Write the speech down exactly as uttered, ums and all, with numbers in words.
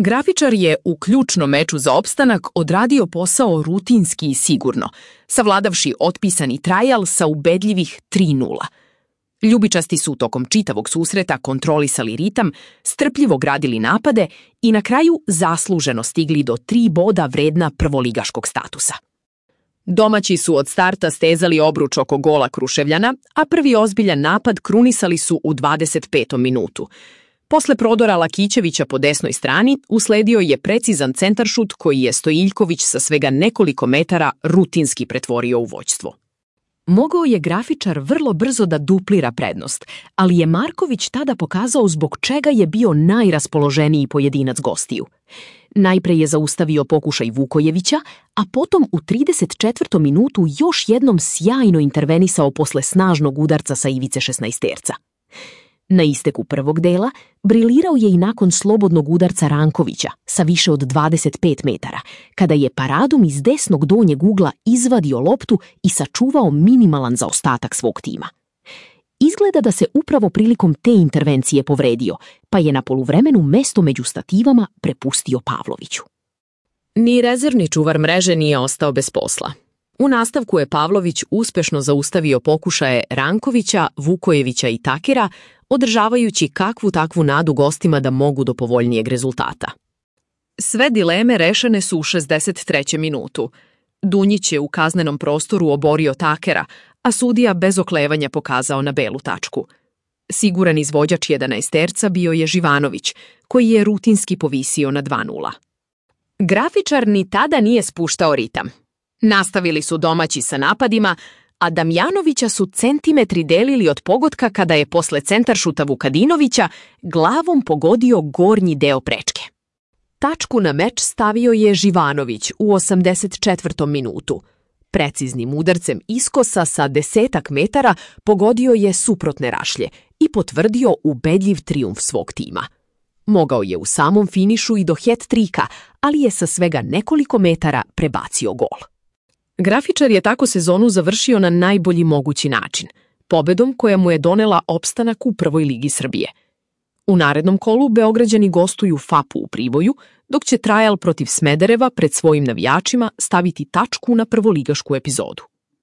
Grafičar je u ključnom meču za opstanak odradio posao rutinski i sigurno, savladavši otpisani trajal sa ubedljivih tri nula. Ljubičasti su tokom čitavog susreta kontrolisali ritam, strpljivo gradili napade i na kraju zasluženo stigli do tri boda vredna prvoligaškog statusa. Domaći su od starta stezali obruč oko gola Kruševljana, a prvi ozbiljan napad krunisali su u dvadeset petom minutu. Posle prodora Lakićevića po desnoj strani usledio je precizan centaršut koji je Stojiljković sa svega nekoliko metara rutinski pretvorio u vođstvo. Mogao je grafičar vrlo brzo da duplira prednost, ali je Marković tada pokazao zbog čega je bio najraspoloženiji pojedinac gostiju. Najpre je zaustavio pokušaj Vukojevića, a potom u trideset četvrtom minutu još jednom sjajno intervenisao posle snažnog udarca sa ivice šesnaesterca. Na isteku prvog dela brilirao je i nakon slobodnog udarca Rankovića sa više od dvadeset pet metara, kada je paradom iz desnog donjeg ugla izvadio loptu i sačuvao minimalan zaostatak svog tima. Izgleda da se upravo prilikom te intervencije povredio, pa je na poluvremenu mesto među stativama prepustio Pavloviću. Ni rezervni čuvar mreže nije ostao bez posla. U nastavku je Pavlović uspešno zaustavio pokušaje Rankovića, Vukojevića i Takera, održavajući kakvu takvu nadu gostima da mogu do povoljnijeg rezultata. Sve dileme rešene su u šezdeset trećem minutu. Dunjić je u kaznenom prostoru oborio Takera, a sudija bez oklevanja pokazao na belu tačku. Siguran izvođač jedanaesterca bio je Živanović, koji je rutinski povisio na dva nula. Grafičar ni tada nije spuštao ritam. Nastavili su domaći sa napadima, a Damjanovića su centimetri delili od pogotka kada je posle centaršuta Vukadinovića glavom pogodio gornji deo prečke. Tačku na meč stavio je Živanović u osamdeset četvrtom minutu. Preciznim udarcem iskosa sa desetak metara pogodio je suprotne rašlje i potvrdio ubedljiv trijumf svog tima. Mogao je u samom finišu i do het-trika, ali je sa svega nekoliko metara prebacio gol. Grafičar je tako sezonu završio na najbolji mogući način, pobedom koja mu je donela opstanak u prvoj ligi Srbije. U narednom kolu Beograđani gostuju Fapu u Priboju, dok će trajal protiv Smedereva pred svojim navijačima staviti tačku na prvoligašku epizodu.